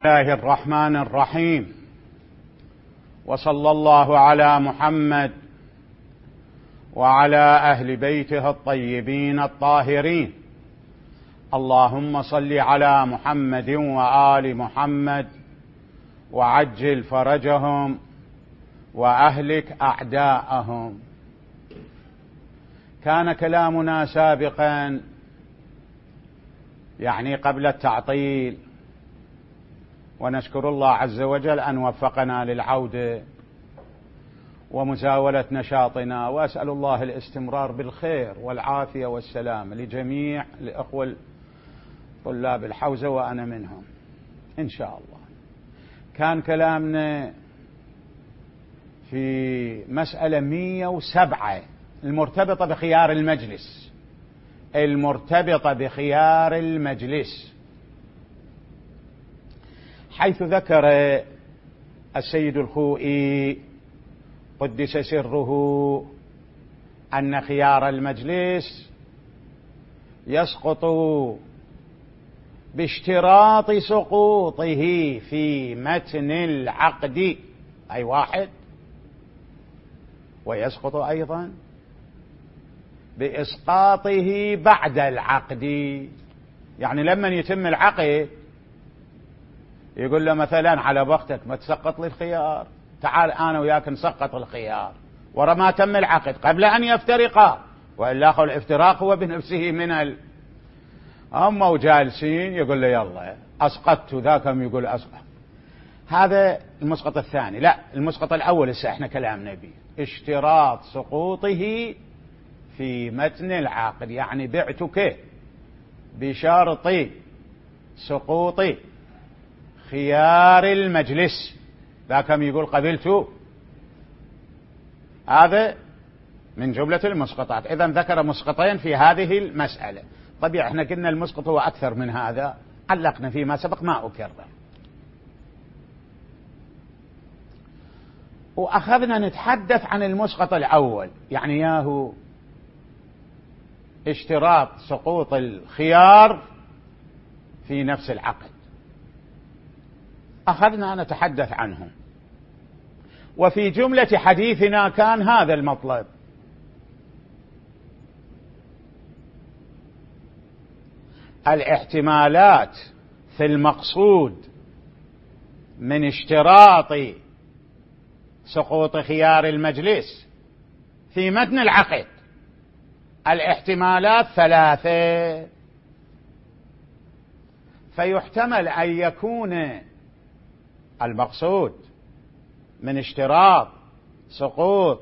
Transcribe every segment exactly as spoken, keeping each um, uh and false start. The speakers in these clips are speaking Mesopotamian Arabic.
الله الرحمن الرحيم، وصلى الله على محمد وعلى أهل بيته الطيبين الطاهرين. اللهم صل على محمد وآل محمد وعجل فرجهم وأهلك أعداءهم. كان كلامنا سابقا يعني قبل التعطيل، ونشكر الله عز وجل أن وفقنا للعودة ومزاولة نشاطنا، وأسأل الله الاستمرار بالخير والعافية والسلام لجميع الأخوة طلاب الحوزة وأنا منهم إن شاء الله. كان كلامنا في مسألة مئة وسبعة المرتبطة بخيار المجلس المرتبطة بخيار المجلس حيث ذكر السيد الخوئي قدس سره أن خيار المجلس يسقط باشتراط سقوطه في متن العقد، أي واحد، ويسقط أيضا بإسقاطه بعد العقد. يعني لما يتم العقد يقول له مثلا على بختك ما تسقط لي الخيار، تعال أنا وياك نسقط الخيار ورا ما تم العقد قبل أن يفترقا، وإلا أخو الافتراق هو بنفسه من ال هم وجالسين يقول له يلا أسقطت، ذاكم يقول أسقط. هذا المسقط الثاني. لا، المسقط الأول هسه احنا كلامنا به اشتراط سقوطه في متن العقد، يعني بعتك بشرط سقوط خيار المجلس، ذاكم يقول قبلت. هذا من جملة المسقطات. إذا ذكر مسقطين في هذه المسألة. طبيعي احنا قلنا المسقط هو أكثر من هذا، علقنا فيما سبق ما أكرر، وأخذنا نتحدث عن المسقط الأول، يعني ياهو اشتراط سقوط الخيار في نفس العقد. أخذنا نتحدث عنه، وفي جملة حديثنا كان هذا المطلب: الاحتمالات في المقصود من اشتراط سقوط خيار المجلس في متن العقد. الاحتمالات ثلاثة، فيحتمل أن يكون المقصود من اشتراط سقوط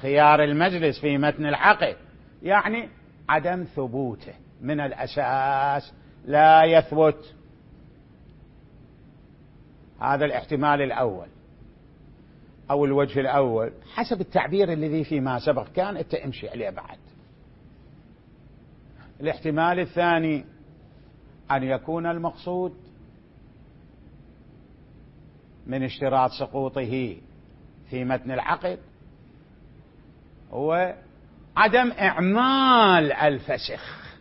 خيار المجلس في متن العقد يعني عدم ثبوته من الأساس، لا يثبت. هذا الاحتمال الأول أو الوجه الأول حسب التعبير الذي فيما سبق كان أنت امشي عليه بعد. الاحتمال الثاني أن يكون المقصود من اشتراط سقوطه في متن العقد هو عدم إعمال الفسخ،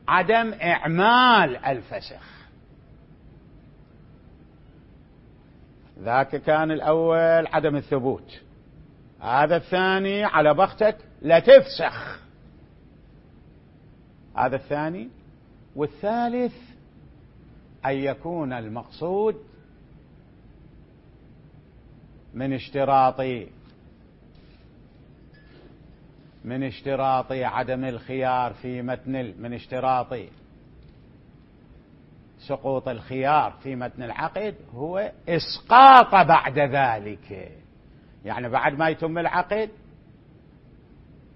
عدم إعمال الفسخ. ذاك كان الأول عدم الثبوت، هذا الثاني على بختك لا تفسخ، هذا الثاني. والثالث أن يكون المقصود من اشتراط من اشتراط عدم الخيار في متن من اشتراط سقوط الخيار في متن العقد هو إسقاط بعد ذلك، يعني بعد ما يتم العقد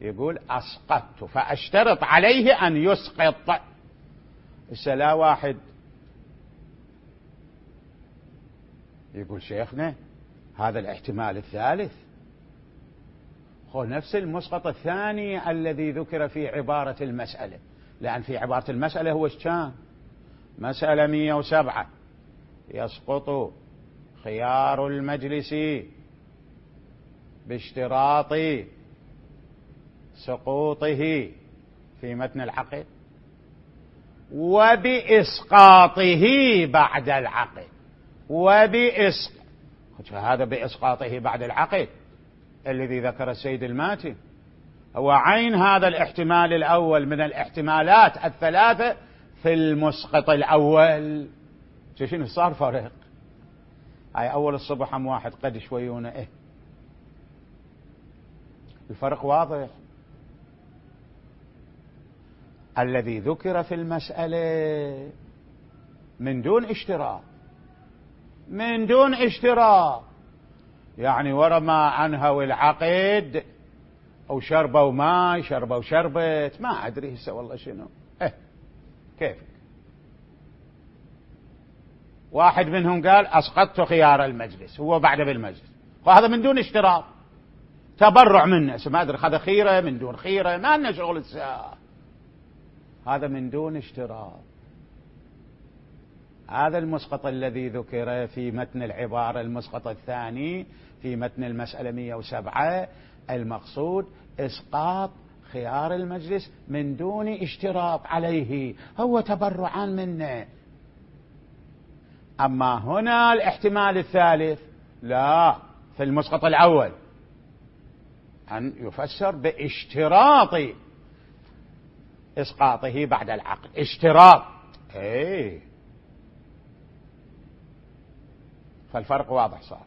يقول أسقطت فأشترط عليه أن يسقط. السلا واحد يقول شيخنا هذا الاحتمال الثالث هو نفس المسقط الثاني الذي ذكر في عبارة المسألة، لأن في عبارة المسألة هو كان مسألة مئة وسبعة يسقط خيار المجلس باشتراط سقوطه في متن العقد وبإسقاطه بعد العقد. وبإسقاط، هذا بإسقاطه بعد العقد الذي ذكر السيد الماتي هو عين هذا الاحتمال الأول من الاحتمالات الثلاثة في المسقط الأول. شنو صار فرق؟ هاي أول الصبح هم واحد قد شويونه إيه الفرق واضح. الذي ذكر في المسألة من دون اشتراط، من دون اشتراط، يعني ورا ما أنهوا العقد أو شربوا ماي شربوا شربت ما أدري هسه والله شنو إيه كيف. واحد منهم قال أسقطت خيار المجلس، هو بعد بالمجلس، وهذا من دون اشتراط، تبرع منه، ما أدري هذا خيرة من دون خيرة، ما لنا شغل الساعة، هذا من دون اشتراط. هذا المسقط الذي ذكر في متن العبارة، المسقط الثاني في متن المسألة مئة وسبعة، المقصود إسقاط خيار المجلس من دون اشتراط عليه، هو تبرعا منه. أما هنا الاحتمال الثالث لا، في المسقط الأول أن يفسر باشتراط إسقاطه بعد العقد، اشتراط ايه، فالفرق واضح صار.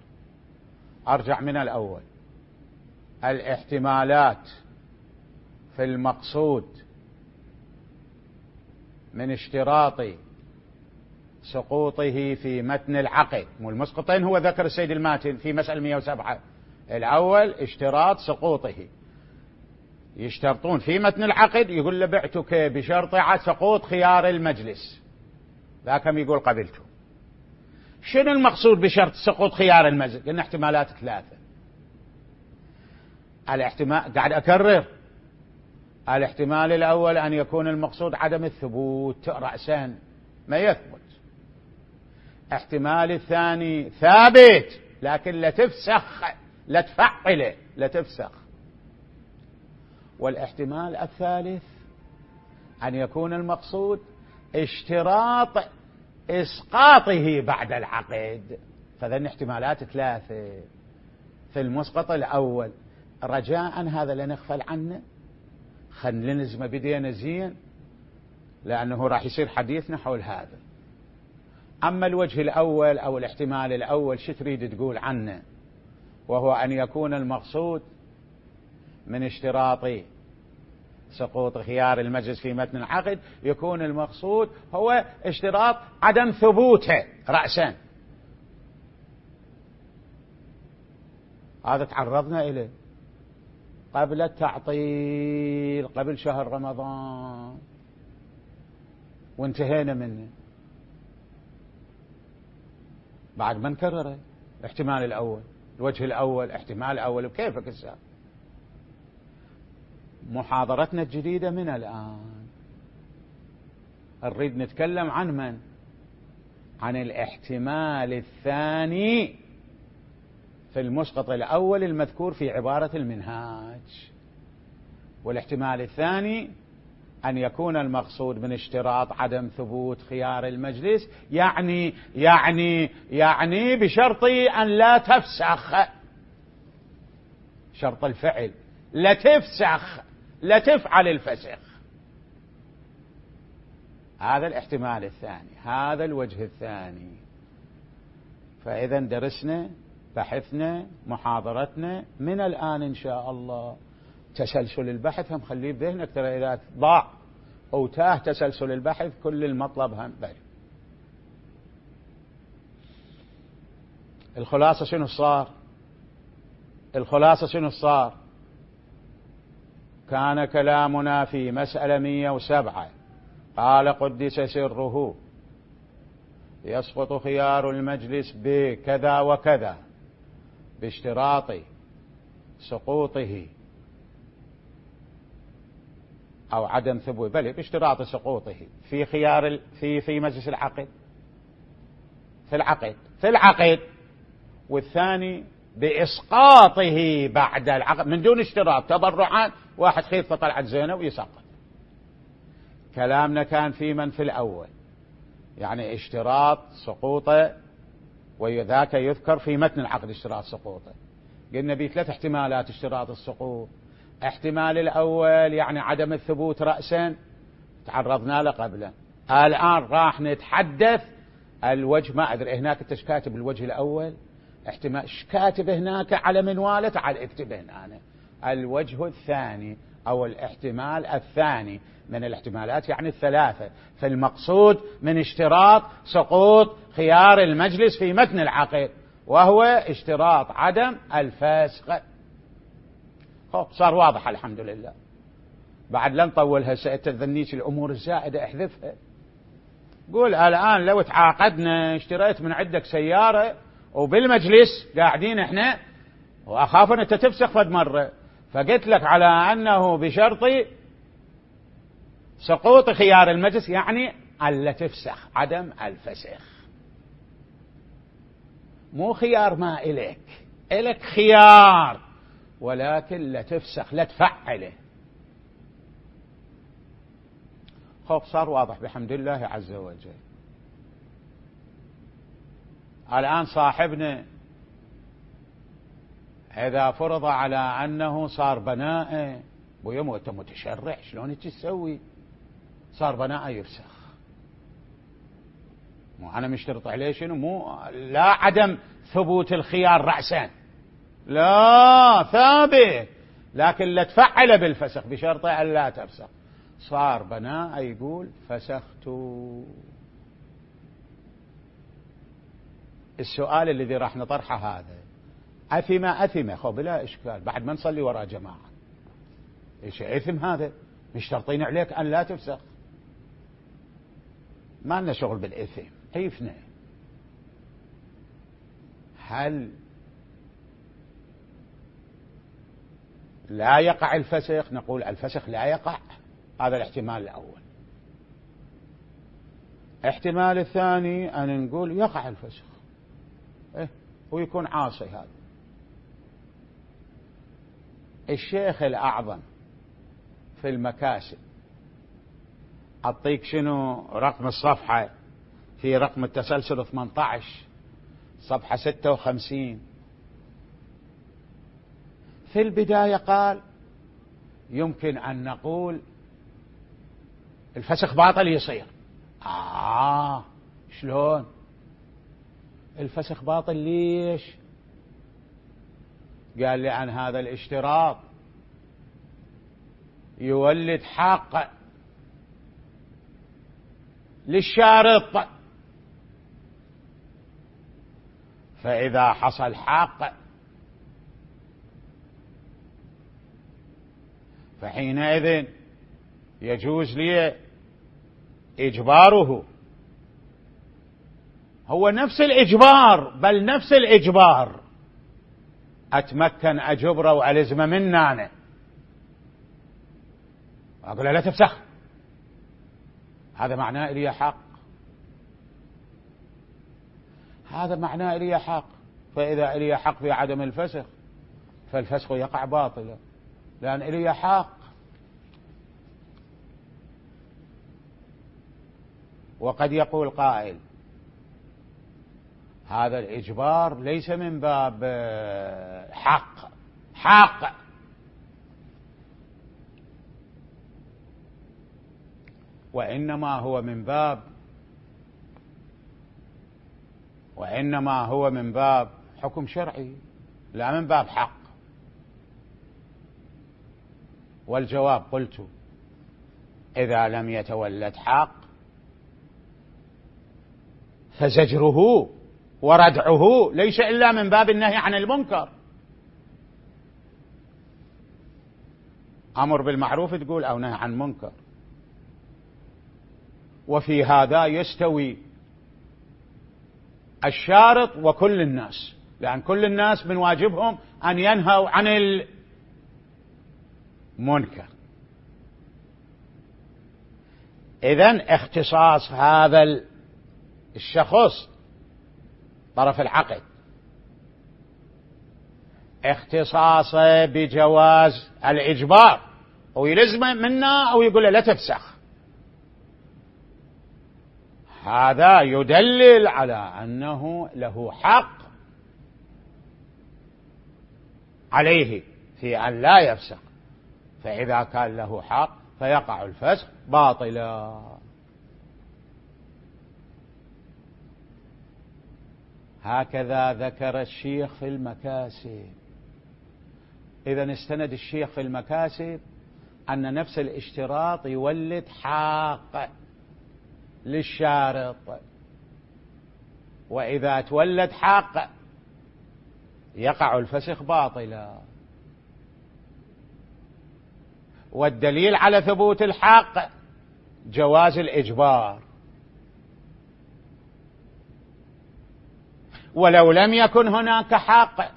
أرجع من الأول، الاحتمالات في المقصود من اشتراط سقوطه في متن العقد، مو المسقطين هو ذكر السيد الماتن في مسألة مئة وسبعة، الأول اشتراط سقوطه، يشترطون في متن العقد يقول له بعتك بشرط سقوط خيار المجلس، ذاكم يقول قبلته. شنو المقصود بشرط سقوط خيار المجلس؟ لأن احتمالات ثلاثة. الاحتمال قاعد أكرر، الاحتمال الأول أن يكون المقصود عدم الثبوت رأسا ما يثبت، احتمال الثاني ثابت لكن لا تفسخ لا تفعله لا تفسخ، والاحتمال الثالث أن يكون المقصود اشتراط إسقاطه بعد العقد. فذن احتمالات ثلاثة في المسقط الأول. رجاء هذا لا نغفل عنه، خل نلزم بدينا زين، لأنه راح يصير حديثنا حول هذا. أما الوجه الأول أو الاحتمال الأول شو تريد تقول عنه؟ وهو أن يكون المقصود من اشتراط سقوط خيار المجلس في متن العقد، يكون المقصود هو اشتراط عدم ثبوته رأسا. هذا تعرضنا إليه قبل التعطيل، قبل شهر رمضان، وانتهينا منه بعد ما نكرره. الاحتمال الأول، الوجه الأول، احتمال الأول، وكيفك السابق. محاضرتنا الجديدة من الآن نريد نتكلم عن من؟ عن الاحتمال الثاني في المسقط الأول المذكور في عبارة المنهاج. والاحتمال الثاني أن يكون المقصود من اشتراط عدم ثبوت خيار المجلس، يعني يعني يعني بشرط أن لا تفسخ، شرط الفعل، لا تفسخ، لا تفعل الفسخ. هذا الاحتمال الثاني، هذا الوجه الثاني. فإذا درسنا بحثنا محاضرتنا من الآن إن شاء الله. تسلسل البحث هم خليه بذهنك، ترى إذا ضاع أو تاه تسلسل البحث كل المطلب هم بل. الخلاصة شنو صار؟ الخلاصة شنو صار؟ كان كلامنا في مسألة مئة وسبعة، قال قدس سره يسقط خيار المجلس بكذا وكذا باشتراط سقوطه أو عدم ثبوت، بل باشتراط سقوطه في خيار في في مجلس العقد، في العقد في العقد والثاني بإسقاطه بعد العقد من دون اشتراط، تبرعا، واحد خيط فطلعت زينة ويسقط. كلامنا كان في من في الأول، يعني اشتراط سقوط وذاك يذكر في متن العقد اشتراط سقوطه. قلنا به ثلاث احتمالات اشتراط السقوط. احتمال الأول يعني عدم الثبوت رأسا، تعرضنا له قبلا. الآن راح نتحدث الوجه، ما أدري هناك انت كاتب الوجه الأول، احتمال كاتب هناك على منواله، تعال اكتب هنا أنا. الوجه الثاني أو الاحتمال الثاني من الاحتمالات يعني الثلاثة، فالمقصود من اشتراط سقوط خيار المجلس في متن العقد وهو اشتراط عدم الفسخ. خب صار واضح الحمد لله. بعد لا نطولها، سأتذنيش الأمور الزائدة احذفها. قول الآن لو تعاقدنا اشتريت من عندك سيارة وبالمجلس قاعدين احنا وأخاف أن أنت تفسخ فد مرة، فقلت لك على أنه بشرط سقوط خيار المجلس، يعني ألا تفسخ، عدم الفسخ. مو خيار ما إليك، إلك خيار ولكن لا تفسخ لا تفعله. خب صار واضح بحمد الله عز وجل. الآن صاحبنا إذا فرض على أنه صار بناء، ويوم أنت متشرع شلون تسوي؟ صار بناء يفسخ. مو أنا مشترط عليه شنو؟ مو لا عدم ثبوت الخيار رأسا، لا ثابت، لكن لا تفعل بالفسخ بشرط أن لا تفسخ. صار بناء يقول فسخت. السؤال الذي راح نطرحه هذا، أثم أثم خو بلا إشكال بعد ما نصلي وراء جماعة، إيش إثم هذا؟ مشترطين عليك أن لا تفسخ، ما لنا شغل بالإثم، كيفنا؟ هل لا يقع الفسخ؟ نقول الفسخ لا يقع، هذا الاحتمال الأول. احتمال الثاني أن نقول يقع الفسخ، إيه ويكون عاصي. هذا الشيخ الأعظم في المكاسب، أعطيك شنو رقم الصفحة في رقم التسلسل ثمانية عشر صفحة ستة وخمسين. في البداية قال يمكن أن نقول الفسخ باطل يصير. آه شلون الفسخ باطل؟ ليش؟ قال لأن هذا الاشتراط يولد حق للشارط، فإذا حصل حق فحينئذ يجوز لي إجباره. هو نفس الإجبار، بل نفس الإجبار أتمكن أجبره وألزمه مني أنا، أقول له لا تفسخ، هذا معناه إلي حق، هذا معناه إلي حق. فإذا إلي حق في عدم الفسخ فالفسخ يقع باطلا، لأن إلي حق. وقد يقول قائل هذا الإجبار ليس من باب حق حق وإنما هو من باب وإنما هو من باب حكم شرعي، لا من باب حق. والجواب قلت إذا لم يتولد حق فزجره وردعه ليس إلا من باب النهي عن المنكر. أمر بالمعروف تقول أو نهي عن منكر، وفي هذا يستوي الشارط وكل الناس، لأن كل الناس من واجبهم أن ينهوا عن المنكر. إذن اختصاص هذا الشخص طرف العقد اختصاصه بجواز الإجبار، أو يلزمه منا أو يقول له لا تفسخ، هذا يدلل على أنه له حق عليه في أن لا يفسق، فإذا كان له حق فيقع الفسق باطلا. هكذا ذكر الشيخ في المكاسب. إذا استند الشيخ في المكاسب أن نفس الاشتراط يولد حق للشارط، وإذا تولد حق يقع الفسخ باطلا. والدليل على ثبوت الحق جواز الإجبار، ولو لم يكن هناك حق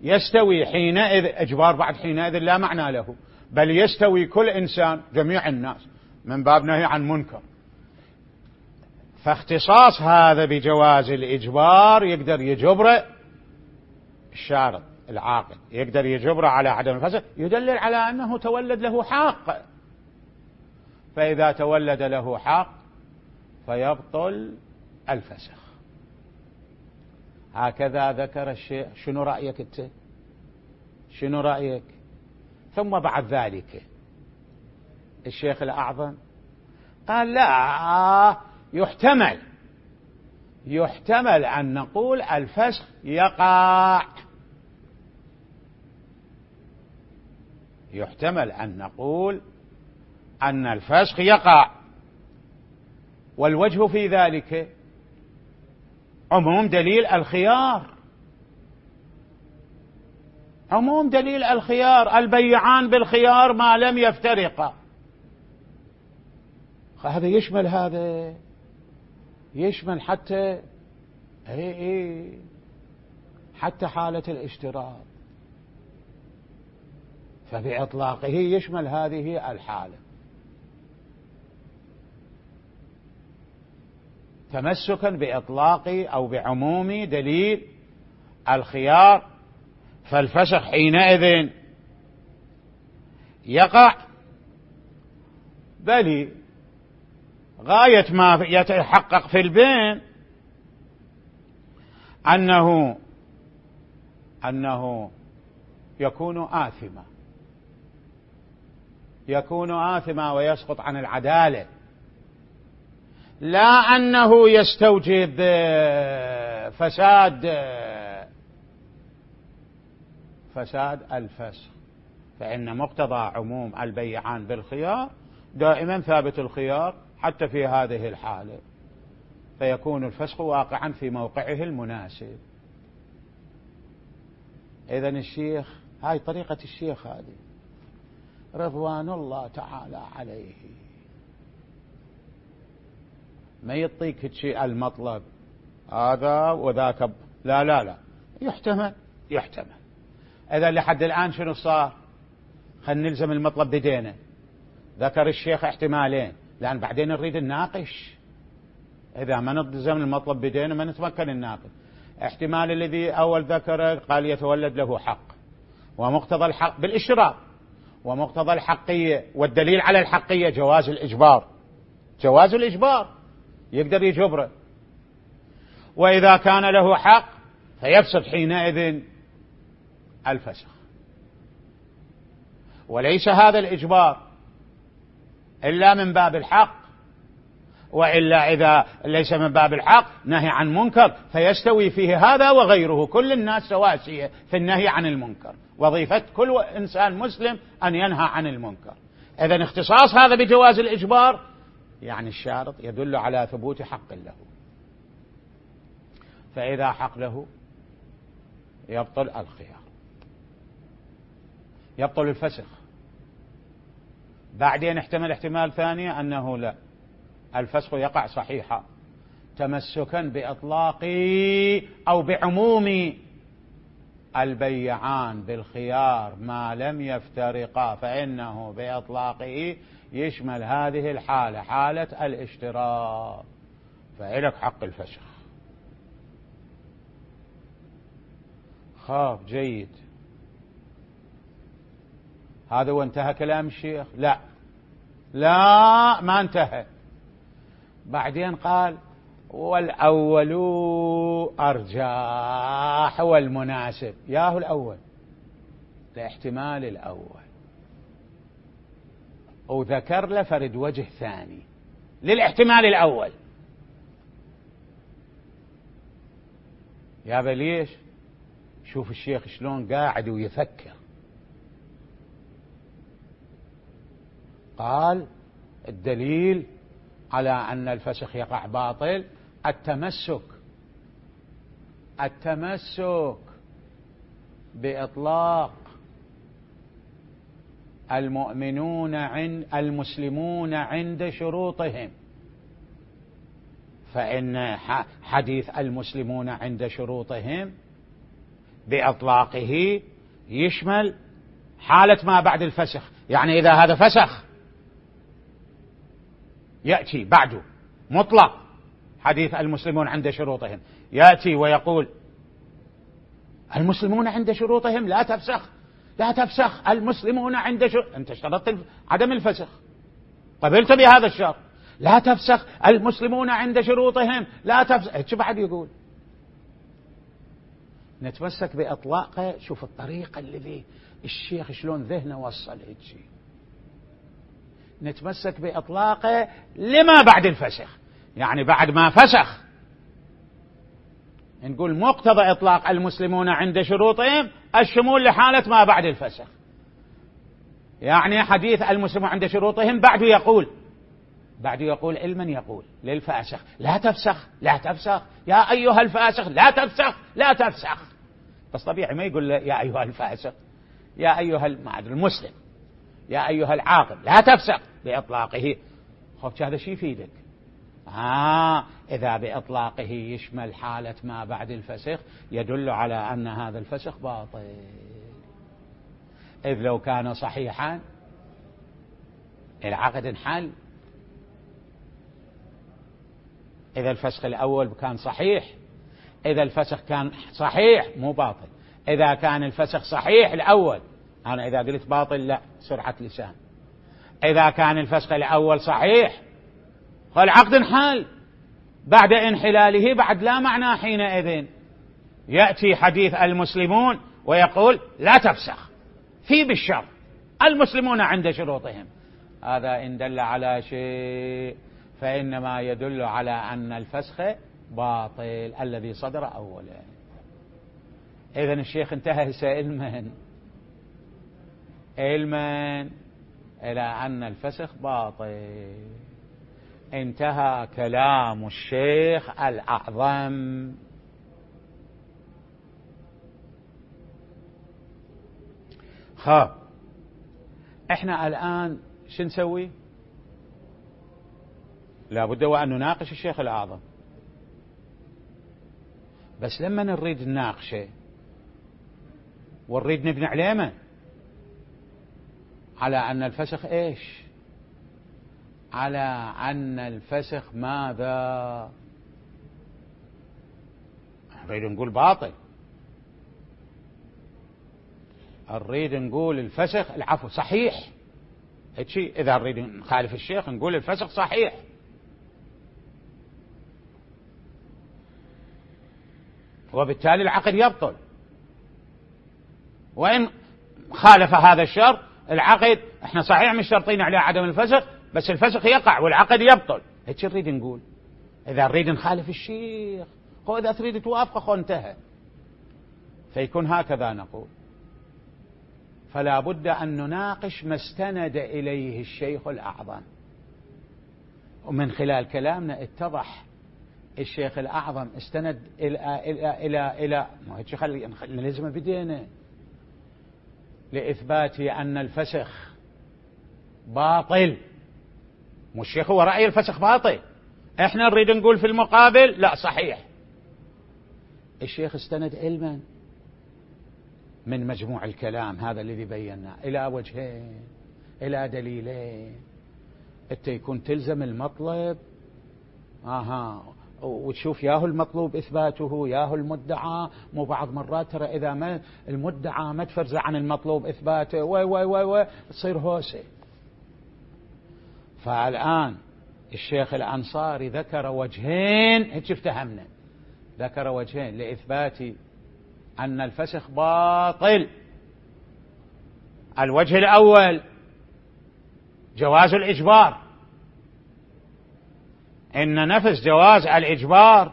يستوي حينئذ إجبار بعد حينئذ لا معنى له، بل يستوي كل إنسان جميع الناس من باب نهي عن منكر. فاختصاص هذا بجواز الإجبار يقدر يجبر الشارط العاقل، يقدر يجبر على عدم الفسخ، يدلل على أنه تولد له حق. فإذا تولد له حق فيبطل الفسخ. هكذا ذكر الشيء. شنو رأيك أنت؟ شنو رأيك؟ ثم بعد ذلك الشيخ الأعظم قال لا، يحتمل يحتمل أن نقول الفسخ يقع، يحتمل أن نقول أن الفسخ يقع. والوجه في ذلك عموم دليل الخيار، عموم دليل الخيار، البيعان بالخيار ما لم يفترقا. هذا يشمل هذا، يشمل حتى اي اي حتى حالة الاشتراط، فبإطلاقه يشمل هذه الحالة. تمسكا بإطلاق أو بعموم دليل الخيار، فالفسخ حينئذ يقع. بل غاية ما يتحقق في البين أنه أنه يكون آثما، يكون آثما ويسقط عن العدالة، لا أنه يستوجب فساد فساد الفسخ. فإن مقتضى عموم البيعان بالخيار دائما ثابت الخيار حتى في هذه الحالة، فيكون الفسخ واقعا في موقعه المناسب. إذن الشيخ، هاي طريقة الشيخ هذه رضوان الله تعالى عليه، ما يعطيك شيء المطلب هذا وذاك، لا لا لا، يحتمل يحتمل. إذا لحد الآن شنو صار؟ خلينا نلزم المطلب بدينا. ذكر الشيخ احتمالين، لأن بعدين نريد نناقش. إذا ما نلزم المطلب بدينا ما نتمكن نناقش. احتمال الذي أول ذكره قال يتولد له حق، ومقتضى الحق بالإشراط، ومقتضى الحقية والدليل على الحقية جواز الإجبار، جواز الإجبار يقدر يجبره. وإذا كان له حق فيفسد حينئذ الفسخ. وليس هذا الإجبار إلا من باب الحق، وإلا إذا ليس من باب الحق نهي عن منكر، فيستوي فيه هذا وغيره، كل الناس سواسية في النهي عن المنكر، وظيفة كل إنسان مسلم أن ينهى عن المنكر. إذن اختصاص هذا بجواز الإجبار يعني الشارط يدل على ثبوت حق له، فإذا حق له يبطل الخيار، يبطل الفسخ. بعدين احتمل احتمال ثاني أنه لا، الفسخ يقع صحيحا تمسكا بإطلاق أو بعموم البيعان بالخيار ما لم يفترقا، فإنه بإطلاقه يشمل هذه الحالة، حالة الاشتراط، فإلك حق الفسخ. خاف جيد. هذا وانتهى كلام الشيخ؟ لا، لا ما انتهى. بعدين قال والأول أرجح والمناسب، ياهو الأول لاحتمال الأول، وذكر له فرد وجه ثاني للاحتمال الأول. يا بليش شوف الشيخ شلون قاعد ويفكر. قال الدليل على أن الفسخ يقع باطل التمسك التمسك بإطلاق المؤمنون عند المسلمون عند شروطهم، فإن حديث المسلمون عند شروطهم بإطلاقه يشمل حالة ما بعد الفسخ. يعني إذا هذا فسخ يأتي بعده مطلق حديث المسلمون عند شروطهم، يأتي ويقول المسلمون عند شروطهم لا تفسخ لا تفسخ المسلمون عند شروط، أنت اشترطت عدم الفسخ، قبلت بهذا الشرط، لا تفسخ المسلمون عند شروطهم لا تفسخ. شو بعد يقول؟ نتمسك بإطلاقه. شوف الطريقة اللي الشيخ شلون ذهنه وصل هيك. نتمسك بإطلاقه لما بعد الفسخ، يعني بعد ما فسخ نقول مقتضى إطلاق المسلمون عند شروطهم الشمول لحالة ما بعد الفسخ. يعني حديث المسلمون عند شروطهم بعده يقول بعده يقول علما يقول للفاسخ لا تفسخ لا تفسخ يا أيها الفاسخ لا تفسخ لا تفسخ. بس طبيعي ما يقول يا أيها الفاسق، يا أيها المسلم، يا أيها العاقل لا تفسق بإطلاقه. خب هذا شيء يفيدك. آه إذا بإطلاقه يشمل حالة ما بعد الفسخ يدل على أن هذا الفسخ باطل، إذ لو كان صحيحا العقد انحل. إذا الفسخ الأول كان صحيح، إذا الفسخ كان صحيح مو باطل. إذا كان الفسخ صحيح الأول، أنا إذا قلت باطل لا سرعة لسان، إذا كان الفسخ الأول صحيح فالعقد انحل. بعد انحلاله بعد لا معنى حينئذ يأتي حديث المسلمون ويقول لا تفسخ في بالشرط المسلمون عند شروطهم. هذا إن دل على شيء فإنما يدل على أن الفسخ باطل الذي صدر أولا. إذن الشيخ انتهى علما علما إلى أن الفسخ باطل. انتهى كلام الشيخ الأعظم. خاب احنا الآن شو نسوي؟ لابد وأن نناقش الشيخ الأعظم، بس لما نريد نناقشه ونريد نبني عليه على أن الفسخ إيش؟ على أن الفسخ ماذا؟ نريد نقول باطل، نريد نقول الفسخ العفو صحيح. هيك إذا نريد نخالف الشيخ نقول الفسخ صحيح. وبالتالي العقد يبطل، وإن خالف هذا الشرط العقد احنا صحيح مش شرطين عليه عدم الفسخ، بس الفسخ يقع والعقد يبطل. هيك نريد نقول. إذا نريد نخالف الشيخ هو إذا تريد توافقه خو انتهى، فيكون هكذا نقول. فلا بد أن نناقش ما استند إليه الشيخ الأعظم، ومن خلال كلامنا اتضح الشيخ الأعظم استند إلى إلى إلى إلى ما هيك خلي نلزم بدينا لإثبات أن الفسخ باطل. مو الشيخ هو رأي الفسخ باطل، احنا نريد نقول في المقابل لا صحيح. الشيخ استند علما من مجموع الكلام هذا الذي بيناه إلى وجهين إلى دليلين، انت يكون تلزم المطلب اها وتشوف ياهو المطلوب إثباته ياهو المدعى. مو بعض مرات ترى إذا ما المدعى ما تفرز عن المطلوب إثباته و و و و تصير هوسة. فالآن الشيخ الأنصاري ذكر وجهين، هيك افتهمنا، ذكر وجهين لإثبات أن الفسخ باطل. الوجه الأول جواز الإجبار، إن نفس جواز الإجبار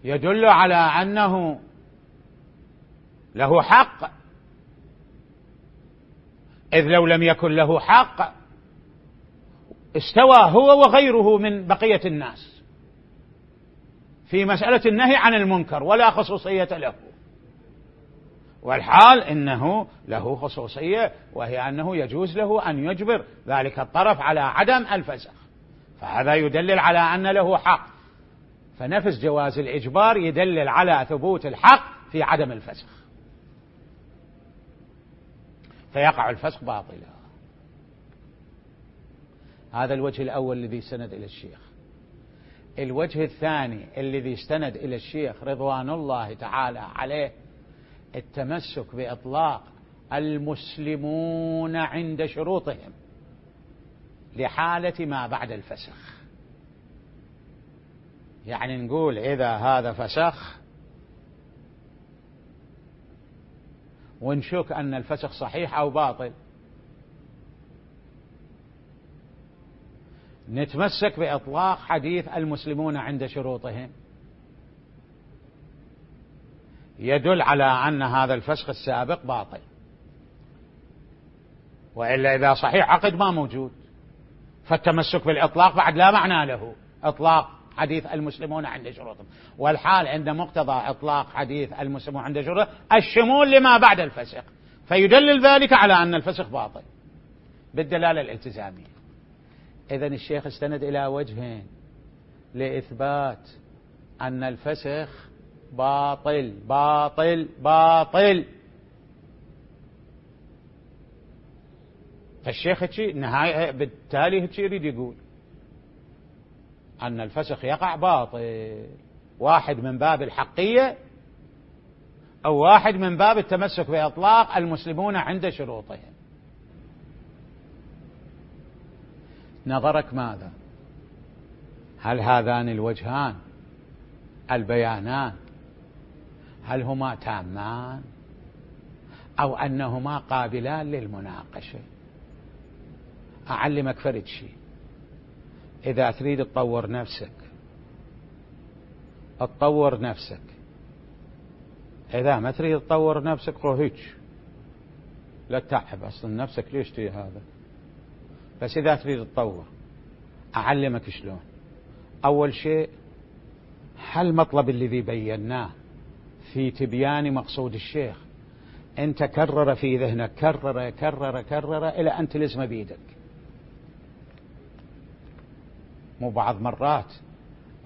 يدل على أنه له حق، إذ لو لم يكن له حق استوى هو وغيره من بقية الناس في مسألة النهي عن المنكر ولا خصوصية له، والحال إنه له خصوصية، وهي أنه يجوز له أن يجبر ذلك الطرف على عدم الفسخ، فهذا يدلل على أن له حق. فنفس جواز الإجبار يدلل على ثبوت الحق في عدم الفسخ، فيقع الفسخ باطلا. هذا الوجه الأول الذي استند إلى الشيخ. الوجه الثاني الذي استند إلى الشيخ رضوان الله تعالى عليه التمسك بإطلاق المسلمون عند شروطهم لحالة ما بعد الفسخ. يعني نقول إذا هذا فسخ ونشك أن الفسخ صحيح أو باطل، نتمسك بإطلاق حديث المسلمون عند شروطهم، يدل على أن هذا الفسخ السابق باطل، وإلا إذا صحيح عقد ما موجود، فالتمسك بالإطلاق بعد لا معنى له، إطلاق حديث المسلمون عند شروطهم، والحال عند مقتضى إطلاق حديث المسلمون عند شروطهم الشمول لما بعد الفسخ، فيدلل ذلك على أن الفسخ باطل بالدلالة الالتزامية. إذن الشيخ استند إلى وجهين لإثبات أن الفسخ باطل باطل باطل. فالشيخ هتشي نهاية بالتالي هتشي يريد يقول أن الفسخ يقع باطل، واحد من باب الحقية أو واحد من باب التمسك بإطلاق المسلمون عند شروطهم. نظرك ماذا؟ هل هذان الوجهان البيانان هل هما تامان أو أنهما قابلان للمناقشة؟ أعلمك فرد شيء، إذا تريد تطور نفسك تطور نفسك، إذا ما تريد تطور نفسك روهيج لا تتعب أصلا نفسك، ليش تي هذا؟ بس إذا تريد تطور أعلمك شلون. أول شيء هالمطلب الذي بيناه في تبيان مقصود الشيخ أنت كرر في ذهنك، كرر كرر كرر إلى أن تلزم بيدك، مو بعض مرات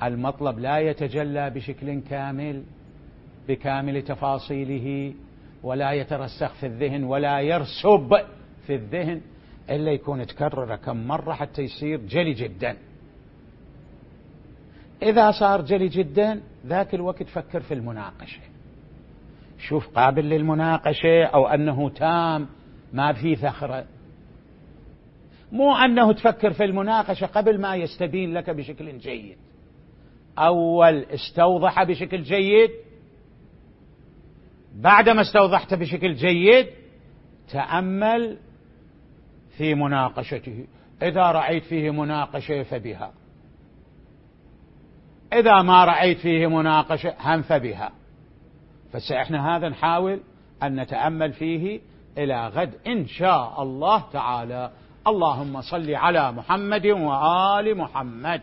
المطلب لا يتجلى بشكل كامل بكامل تفاصيله ولا يترسخ في الذهن ولا يرسب في الذهن إلا يكون تكرر كم مرة حتى يصير جلي جدا. إذا صار جلي جدا ذاك الوقت فكر في المناقشة، شوف قابل للمناقشة أو أنه تام ما في ثخرة، مو أنه تفكر في المناقشة قبل ما يستبين لك بشكل جيد. أول استوضح بشكل جيد، بعدما استوضحت بشكل جيد تأمل في مناقشته، إذا رأيت فيه مناقشة فبها، إذا ما رأيت فيه مناقشة هم فبها. فسإحنا هذا نحاول أن نتأمل فيه إلى غد إن شاء الله تعالى. اللهم صل على محمد وآل محمد.